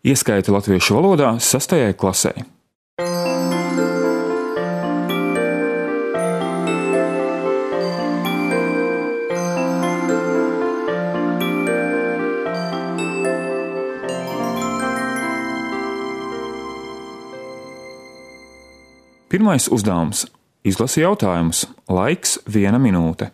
Ieskaiti latviešu valodā 6. klasē. Pirmais uzdevums – izlasi jautājumus. Laiks 1 minūte.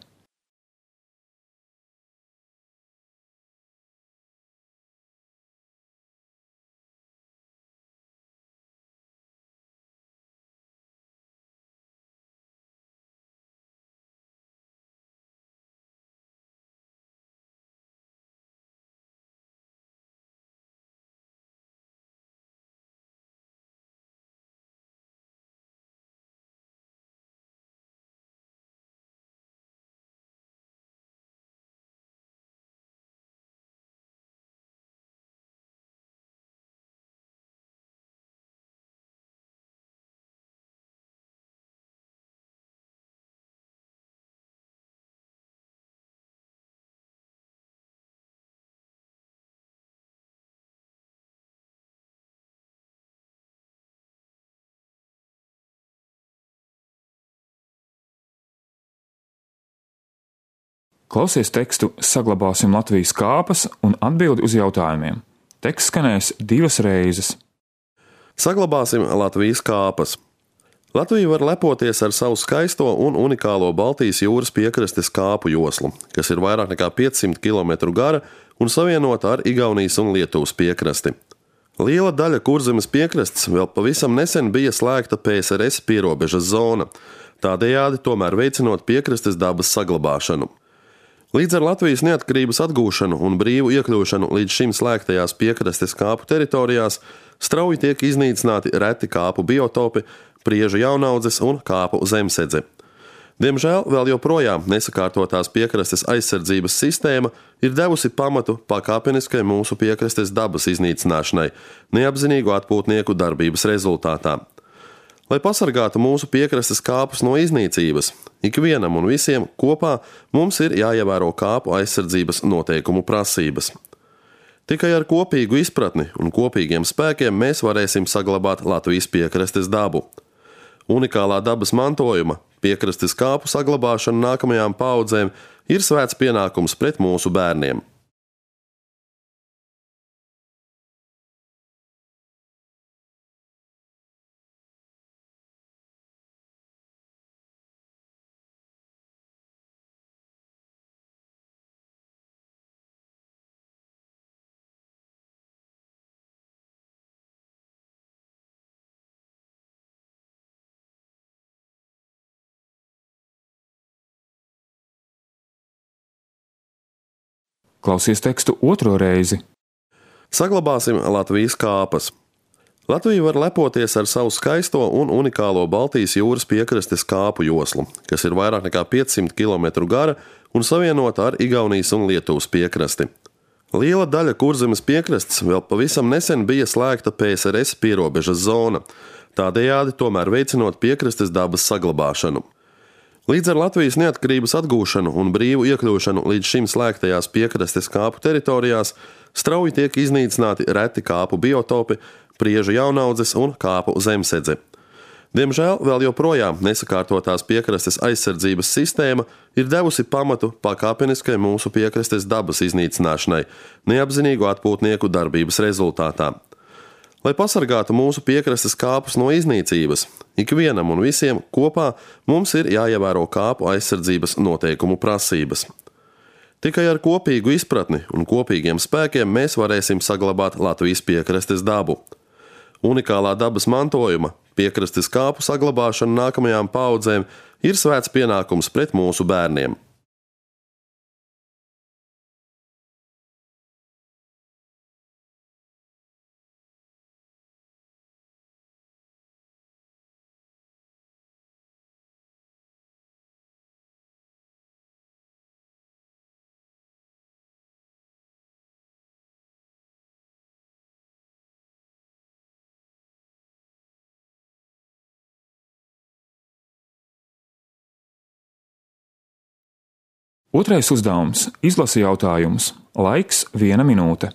Klausies tekstu Saglabāsim Latvijas kāpas un atbildi uz jautājumiem. Teksts skanēs 2 reizes. Saglabāsim Latvijas kāpas. Latvija var lepoties ar savu skaisto un unikālo Baltijas jūras piekrastes kāpu joslu, kas ir vairāk nekā 500 km gara un savienota ar Igaunijas un Lietuvas piekrasti. Liela daļa Kurzemes piekrastes vēl pavisam nesen bija slēgta PSRS pierobežas zona, tādējādi tomēr veicinot piekrastes dabas saglabāšanu. Līdz ar Latvijas neatkarības atgūšanu un brīvu iekļūšanu līdz šim slēgtajās piekrastes kāpu teritorijās strauji tiek iznīcināti reti kāpu biotopi, priežu jaunaudzes un kāpu zemsedze. Diemžēl vēl joprojām nesakārtotās piekrastes aizsardzības sistēma ir devusi pamatu pakāpeniskai mūsu piekrastes dabas iznīcināšanai, neapzinīgu atpūtnieku darbības rezultātā. Lai pasargātu mūsu piekrastes kāpus no iznīcības, ikvienam un visiem kopā mums ir jāievēro kāpu aizsardzības noteikumu prasības. Tikai ar kopīgu izpratni un kopīgiem spēkiem mēs varēsim saglabāt Latvijas piekrastes dabu. Unikālā dabas mantojuma, piekrastes kāpu saglabāšana nākamajām paaudzēm ir svēts pienākums pret mūsu bērniem. Klausies tekstu 2 reizi. Saglabāsim Latvijas kāpas. Latvija var lepoties ar savu skaisto un unikālo Baltijas jūras piekrastes kāpu joslu, kas ir vairāk nekā 500 km gara un savienota ar Igaunijas un Lietuvas piekrasti. Liela daļa Kurzemes piekrastes vēl pavisam nesen bija slēgta PSRS pierobežas zona, tādējādi tomēr veicinot piekrastes dabas saglabāšanu. Līdz ar Latvijas neatkarības atgūšanu un brīvu iekļūšanu līdz šim slēgtajās piekrastes kāpu teritorijās strauji tiek iznīcināti reti kāpu biotopi, priežu jaunaudzes un kāpu zemsedze. Diemžēl vēl joprojām nesakārtotās piekrastes aizsardzības sistēma ir devusi pamatu pakāpeniskai mūsu piekrastes dabas iznīcināšanai, neapzinīgu atpūtnieku darbības rezultātā. Lai pasargātu mūsu piekrastes kāpus no iznīcības, ikvienam un visiem kopā mums ir jāievēro kāpu aizsardzības noteikumu prasības. Tikai ar kopīgu izpratni un kopīgiem spēkiem mēs varēsim saglabāt Latvijas piekrastes dabu. Unikālā dabas mantojuma, piekrastes kāpu saglabāšana nākamajām paaudzēm ir svēts pienākums pret mūsu bērniem. Otrais uzdevums – izlasi jautājumus. Laiks 1 minūte.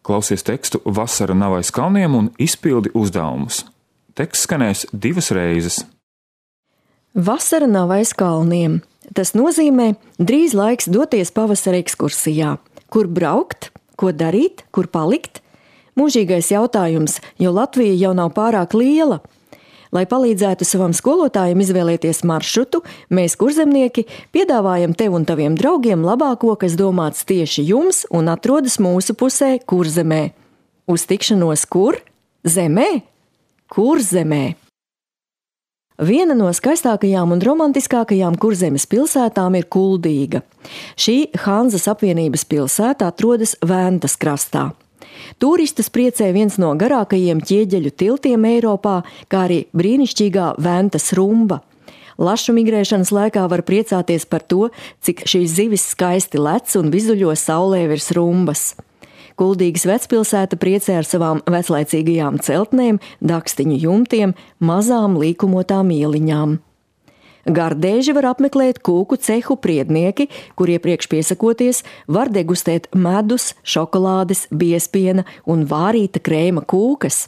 Klausies tekstu Vasara nav aiz kalniem un izpildi uzdevumus. Teksts skanēs 2 reizes. Vasara nav aiz kalniem. Tas nozīmē drīz laiks doties pavasara ekskursijā. Kur braukt, ko darīt, kur palikt? Mūžīgais jautājums, jo Latvija jau nav pārāk liela. Lai palīdzētu savam skolotājam izvēlēties maršrutu, mēs, kurzemnieki, piedāvājam tev un taviem draugiem labāko, kas domāts tieši jums un atrodas mūsu pusē Kurzemē. Uz tikšanos kur? Zemē? Kurzemē. Viena no skaistākajām un romantiskākajām Kurzemes pilsētām ir Kuldīga. Šī Hanzas apvienības pilsēta atrodas Ventas krastā. Turistus priecē viens no garākajiem ķieģeļu tiltiem Eiropā, kā arī brīnišķīgā Ventas rumba. Lašu migrēšanas laikā var priecāties par to, cik šīs zivis skaisti lec un vizuļo saulē virs rumbas. Kuldīgas vecpilsēta priecē ar savām veclaicīgajām celtnēm, dakstiņu jumtiem, mazām līkumotām ieliņām. Gardēži var apmeklēt kūku cehu priednieki, kur iepriekš piesakoties var degustēt medus, šokolādes, biespiena un vārīta krēma kūkas.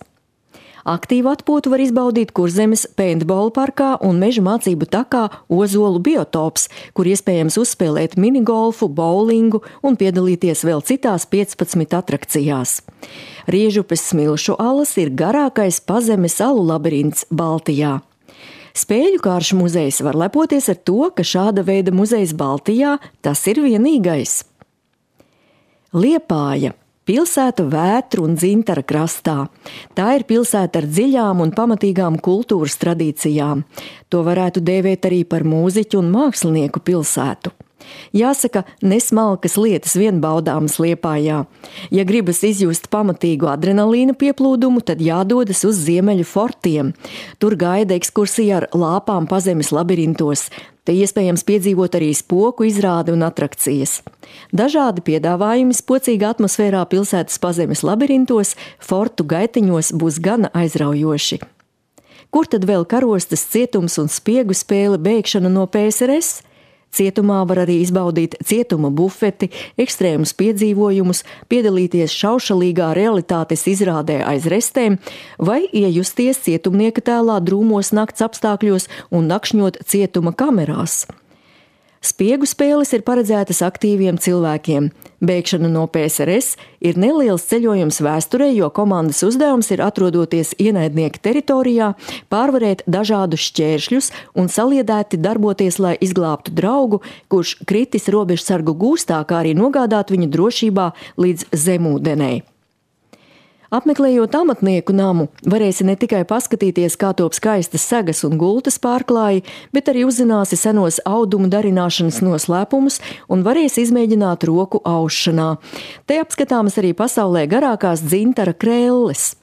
Aktīvu atpūtu var izbaudīt Kurzemes paintball parkā un meža mācību takā Ozolu biotops, kur iespējams uzspēlēt minigolfu, bowlingu un piedalīties vēl citās 15 atrakcijās. Riežupes smilšu alas ir garākais pazemes alu labirints Baltijā. Spēļu kāršu muzejs var lepoties ar to, ka šāda veida muzejs Baltijā tas ir vienīgais. Liepāja – pilsēta Vētru un Dzintara krastā. Tā ir pilsēta ar dziļām un pamatīgām kultūras tradīcijām. To varētu dēvēt arī par mūziķu un mākslinieku pilsētu. Jāsaka, nesmalkas lietas vien baudāmas Liepājā. Ja gribas izjust pamatīgu adrenalīna pieplūdumu, tad jādodas uz Ziemeļu fortiem. Tur gaida ekskursija ar lāpām pazemes labirintos. Te iespējams piedzīvot arī spoku izrādi un atrakcijas. Dažādi piedāvājumi spocīga atmosfērā pilsētas pazemes labirintos, fortu gaitiņos būs gana aizraujoši. Kur tad vēl karostas cietums un spiegu spēle bēgšana no PSRS? Cietumā var arī izbaudīt cietuma bufeti, ekstrēmus piedzīvojumus, piedalīties šaušalīgā realitātes izrādē aiz restēm vai iejusties cietumnieka tēlā drūmos nakts apstākļos un nakšņot cietuma kamerās. Spiegu spēles ir paredzētas aktīviem cilvēkiem. Bēgšana no PSRS ir neliels ceļojums vēsturē, jo komandas uzdevums ir, atrodoties ienaidnieka teritorijā, pārvarēt dažādus šķēršļus un saliedēti darboties, lai izglābtu draugu, kurš kritis robežsargu gūstā, kā arī nogādāt viņu drošībā līdz zemūdenei. Apmeklējot amatnieku namu, varēsi ne tikai paskatīties, kā top skaistas segas un gultas pārklāji, bet arī uzzināsi senos audumu darināšanas noslēpumus un varēsi izmēģināt roku aušanā. Te apskatāmas arī pasaulē garākās dzintara krelles.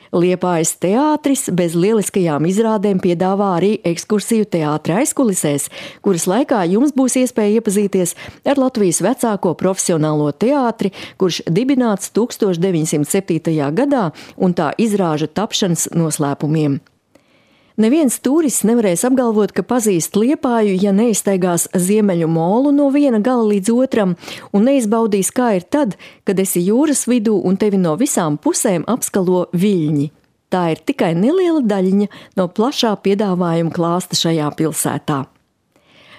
Liepājas teātris bez lieliskajām izrādēm piedāvā arī ekskursiju teātra aizkulisēs, kuras laikā jums būs iespēja iepazīties ar Latvijas vecāko profesionālo teātri, kurš dibināts 1907. gadā un tā izrāžu tapšanas noslēpumiem. Neviens turists nevarēs apgalvot, ka pazīst Liepāju, ja neizstaigās Ziemeļu molu no viena gala līdz otram un neizbaudīs, kā ir tad, kad esi jūras vidū un tevi no visām pusēm apskalo viļņi. Tā ir tikai neliela daļiņa no plašā piedāvājuma klāsta šajā pilsētā.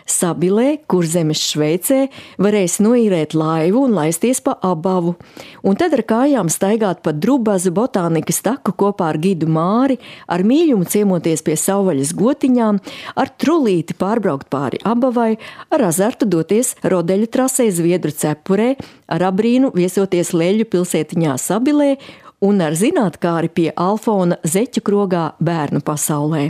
Sabilē, Kurzemes Šveicē, varēs noīrēt laivu un laisties pa abavu, un tad ar kājām staigāt pa Drubazu botānikas taku kopā ar gidu Māri, ar mīļumu ciemoties pie savvaļas gotiņām, ar trulīti pārbraukt pāri abavai, ar azartu doties rodeļu trasē Zviedru cepurē, ar abrīnu viesoties Leļu pilsētiņā Sabilē un ar zinātkāri pie Alfona zeķu krogā bērnu pasaulē.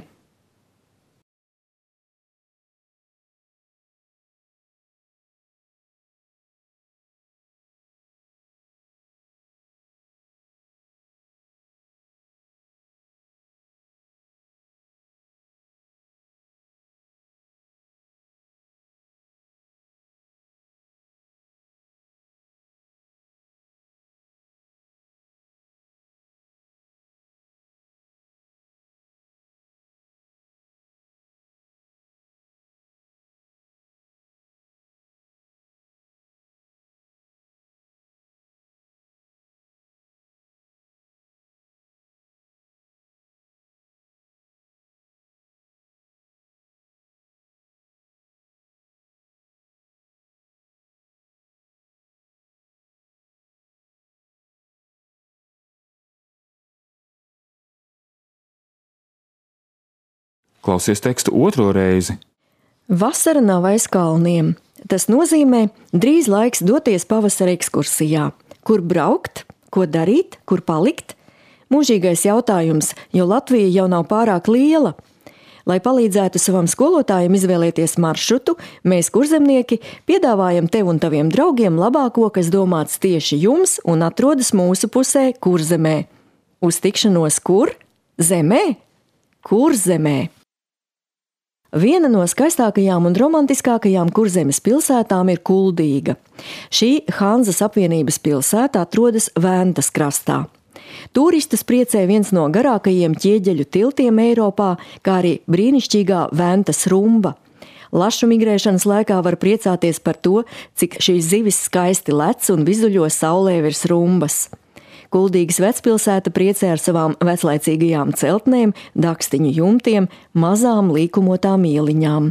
Klausies tekstu otro reizi. Vasara nav aiz kalniem. Tas nozīmē drīz laiks doties pavasara ekskursijā. Kur braukt, ko darīt, kur palikt? Mūžīgais jautājums, jo Latvija jau nav pārāk liela. Lai palīdzētu savam skolotājam izvēlēties maršrutu, mēs, kurzemnieki, piedāvājam tev un taviem draugiem labāko, kas domāts tieši jums un atrodas mūsu pusē Kurzemē. Uz tikšanos kur? Zemē? Kurzemē. Viena no skaistākajām un romantiskākajām Kurzemes pilsētām ir Kuldīga. Šī Hanzas apvienības pilsēta atrodas Ventas krastā. Turistus priecē viens no garākajiem ķieģeļu tiltiem Eiropā, kā arī brīnišķīgā Ventas rumba. Lašu migrēšanas laikā var priecāties par to, cik šīs zivis skaisti lec un vizuļo saulē virs rumbas. Kuldīgas vecpilsēta priecē ar savām veclaicīgajām celtnēm, dakstiņu jumtiem, mazām līkumotām ieliņām.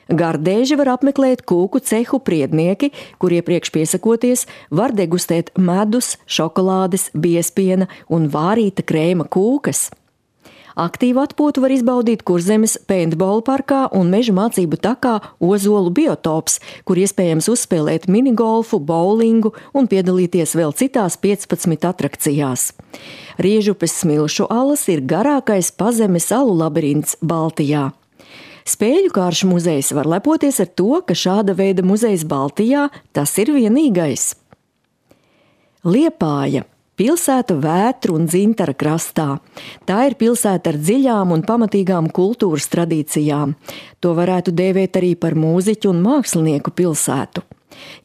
Gardēži var apmeklēt kūku cehu priednieki, kur iepriekš piesakoties var degustēt medus, šokolādes, biespiena un vārīta krēma kūkas. Aktīvu atpūtu var izbaudīt Kurzemes paintball parkā un meža mācību takā Ozolu biotops, kur iespējams uzspēlēt minigolfu, bowlingu un piedalīties vēl citās 15 atrakcijās. Riežupes smilšu alas ir garākais pazemes alu labirints Baltijā. Spēļu kāršu muzejs var lepoties ar to, ka šāda veida muzejs Baltijā tas ir vienīgais. Liepāja. Pilsēta Vētru un Dzintara krastā. Tā ir pilsēta ar dziļām un pamatīgām kultūras tradīcijām. To varētu dēvēt arī par mūziķu un mākslinieku pilsētu.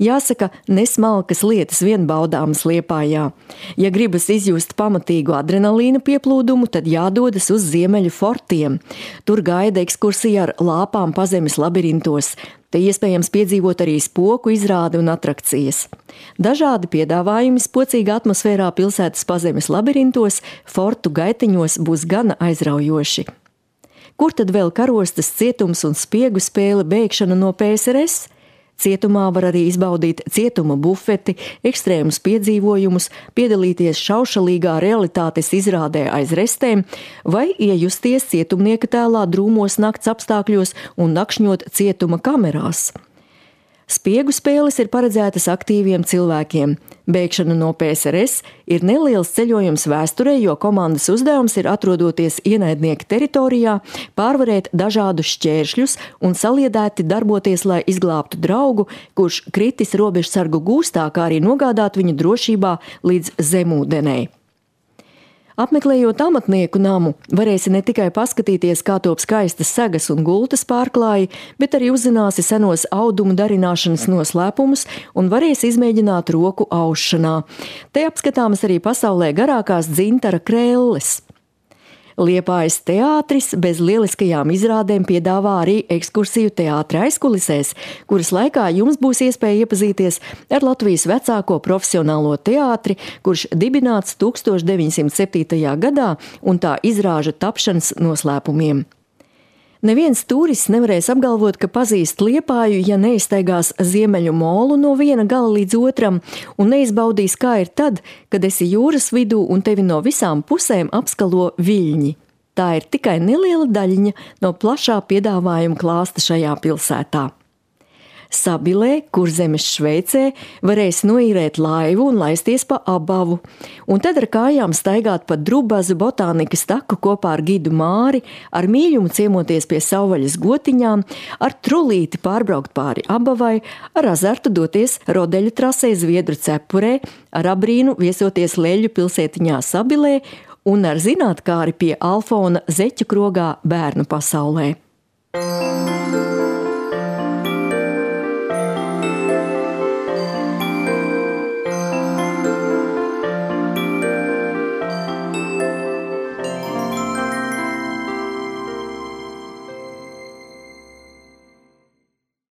Jāsaka, nesmalkas lietas vien baudāmas Liepājā. Ja gribas izjust pamatīgu adrenalīna pieplūdumu, tad jādodas uz Ziemeļu fortiem. Tur gaida ekskursija ar lāpām pazemes labirintos. Te iespējams piedzīvot arī spoku izrādi un atrakcijas. Dažādi piedāvājumi spocīgā atmosfērā pilsētas pazemes labirintos, fortu gaitiņos būs gana aizraujoši. Kur tad vēl karostas cietums un spiegu spēle bēgšana no PSRS? Cietumā var arī izbaudīt cietuma bufeti, ekstrēmus piedzīvojumus, piedalīties šaušalīgā realitātes izrādē aiz restēm vai iejusties cietumnieka tēlā drūmos nakts apstākļos un nakšņot cietuma kamerās. Spiegu spēles ir paredzētas aktīviem cilvēkiem. Bēgšana no PSRS ir neliels ceļojums vēsturē, jo komandas uzdevums ir, atrodoties ienaidnieka teritorijā, pārvarēt dažādus šķēršļus un saliedēti darboties, lai izglābtu draugu, kurš kritis robežsargu gūstā, kā arī nogādāt viņu drošībā līdz zemūdenei. Apmeklējot amatnieku namu, varēsi ne tikai paskatīties, kā top skaistas segas un gultas pārklāji, bet arī uzzināsi senos audumu darināšanas noslēpumus un varēsi izmēģināt roku aušanā. Te apskatāmas arī pasaulē garākās dzintara krelles. Liepājas teātris bez lieliskajām izrādēm piedāvā arī ekskursiju teātra aizkulisēs, kuras laikā jums būs iespēja iepazīties ar Latvijas vecāko profesionālo teātri, kurš dibināts 1907. gadā un tā izrāžu tapšanas noslēpumiem. Neviens turists nevarēs apgalvot, ka pazīst Liepāju, ja neizstaigās Ziemeļu molu no viena gala līdz otram un neizbaudīs, kā ir tad, kad esi jūras vidū un tevi no visām pusēm apskalo viļņi. Tā ir tikai neliela daļiņa no plašā piedāvājuma klāsta šajā pilsētā. Sabilē, Kurzemes Šveicē, varēs noīrēt laivu un laisties pa abavu, un tad ar kājām staigāt pa Drubazu botānikas taku kopā ar gidu Māri, ar mīļumu ciemoties pie savvaļas gotiņām, ar trulīti pārbraukt pāri abavai, ar azartu doties rodeļu trasē Zviedru cepurē, ar abrīnu viesoties Leļu pilsētiņā Sabilē un ar zinātkāri pie Alfona zeķu krogā bērnu pasaulē.